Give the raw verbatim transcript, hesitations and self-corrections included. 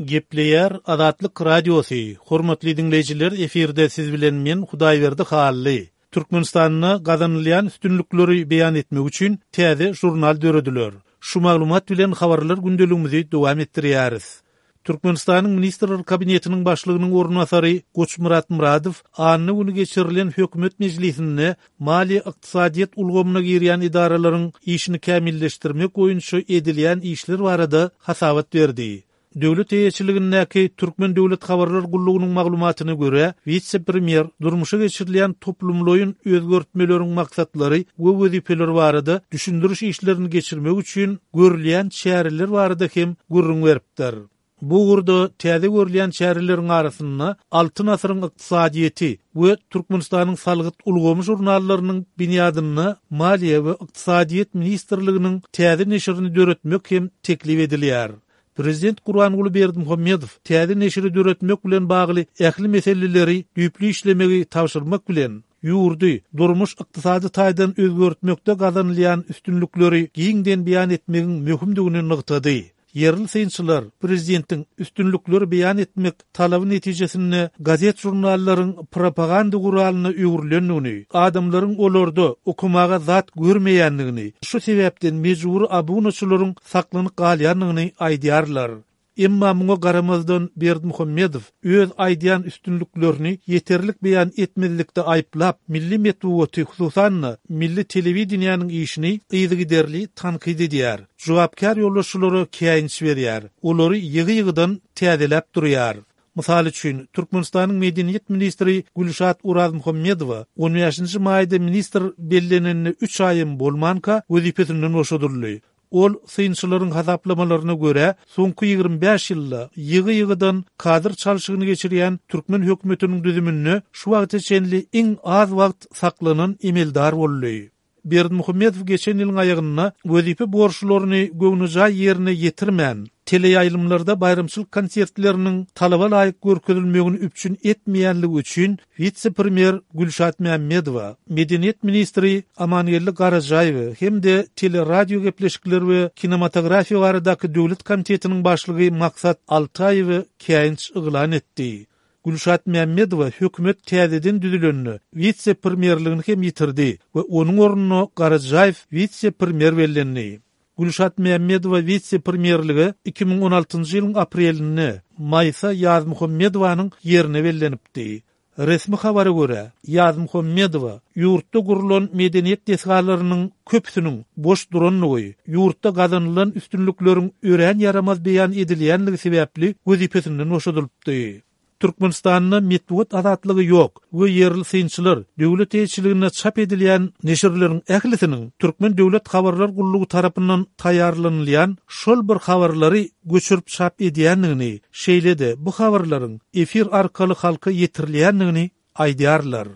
Gepleýär Azatlyk Radiosy, Hormatly diňleýjiler efirde siz bilen men Hudaýberdi Hally. Türkmenistanda gazanylýan üstünlikleri beýan etmek üçin täze žurnal dörediler. Şu maglumat bilen habarlar gündeligimizi dowam etdirýäris. Türkmenistanyň Ministrler Kabinetiniň başlygynyň orunbasary Goçmyrat Myradow anna güni geçirilen hökümet mejlisinde maliýe-ykdysadyýet ulgamyna girýän edaralaryň işini kämilleşdirmek boýunça edilýän işler barada hasabat berdi. Döwlet eýeçiligindäki Türkmen döwlet habarlar gullugynyň maglumatyna görä, wise-premýer durmuşa geçirilýän toplumlaýyn özgertmeleriň maksatlary we wezipeleri barada düşündiriş işlerini geçirmek üçin görülýän çäreler barada hem gürrüň beripdir. Bu ugurda täze görülýän çäreleriň arasynda Altyn asyryň ykdysadyýeti we Türkmenistanyň salgyt ulgamy žurnallarynyň binýadynda Maliýe we ykdysadyýet ministrliginiň täze neşirini döretmek hem teklip edilýär. Prezident Gurbanguly Berdimuhamedow täze neşiri döretmek bilen bagly ähli meseleleri düýpli işlemegi tabşyrmak bilen, ýurdy durmuş-ykdysady taýdan özgertmekde gazanylýan üstünlikleri giňden beýan etmegiň möhümdigini nygtady. Ýerli synçylar prezidentiň üstünlikleri beýan etmek talaby netijesinde gazet-žurnallaryň propaganda guralyna öwrülendigini, adamlaryň olarda okamaga zat görmeýändigini, şu sebäpden mejbury abunaçylaryň saklanyp galýandygyny aýdýarlar. Emma muňa garamazdan Berdimuhamedow öz aýdýan üstünliklerini ýeterlik beýan etmezlikde aýyplap, milli metbugaty, hususan-da, milli telewideniýäniň işini yzygiderli tankyt edýär, jogapkär ýolbaşçylara käýinç berýär, olary ýygy-ýygydan täzeläp durýar. Mysal üçin, Türkmenistanyň medeniýet ministri Gülşat Orazmuhammedowa on bäşinji maýda ministr bellenenine üç aýam bolmanka wezipesinden boşadyldy. Ol, synçylaryň hasaplamalaryna görä, soňky ýigrimi bäş ýylda ýygy-ýygydan kadr çalşygyny geçirýän türkmen hökümetiniň düzüminde şu wagta çenli iň az wagt saklanan emeldar boldy. Berdimuhamedow geçen ýylyň aýagynda wezipe borçlaryny göwnejaý ýerine ýetirmän, teleýaýlymlarda baýramçylyk konsertleriniň talaba laýyk görkezilmegini üpjün etmeýänligi üçin wise-premýer Gülşat Mämmedowa, medeniýet ministri Amangeldi Garajaýewe hem-de teleradiogepleşikler we kinematografiýa baradaky döwlet komitetiniň başlygy Maksat Altaýewe käýinç yglan etdi. Gülşat Mämmedowa hökümet täzeden düzülende wise-premýerligini hem ýitirdi we onuň ornuna Garajaýew wise-premýer bellendi. Gülşat Mämmedowa wise-premýerlige iki müň on altynjy ýylyň aprelinde Maýsa Ýazmuhammedowanyň ýerine bellenipdi. Resmi habara görä, Ýazmuhammedowa ýurtda gurlan medeniýet desgalarynyň köpüsiniň boş durandygy, ýurtda gazanylan üstünlikleriň örän ýaramaz beýan edilýänligi sebäpli wezipesinden boşadylypdy. Türkmenistanda metbugat azatlygy ýok we ýerli synçylar döwlet eýeçiliginde çap edilýän neşirleriň ählisiniň Türkmen döwlet habarlar gullugy tarapyndan taýýarlanylýan şol bir habarlary göçürip çap edýändigini, şeýle-de bu habarlaryň efir arkaly halka ýetirilýändigini aýdýarlar.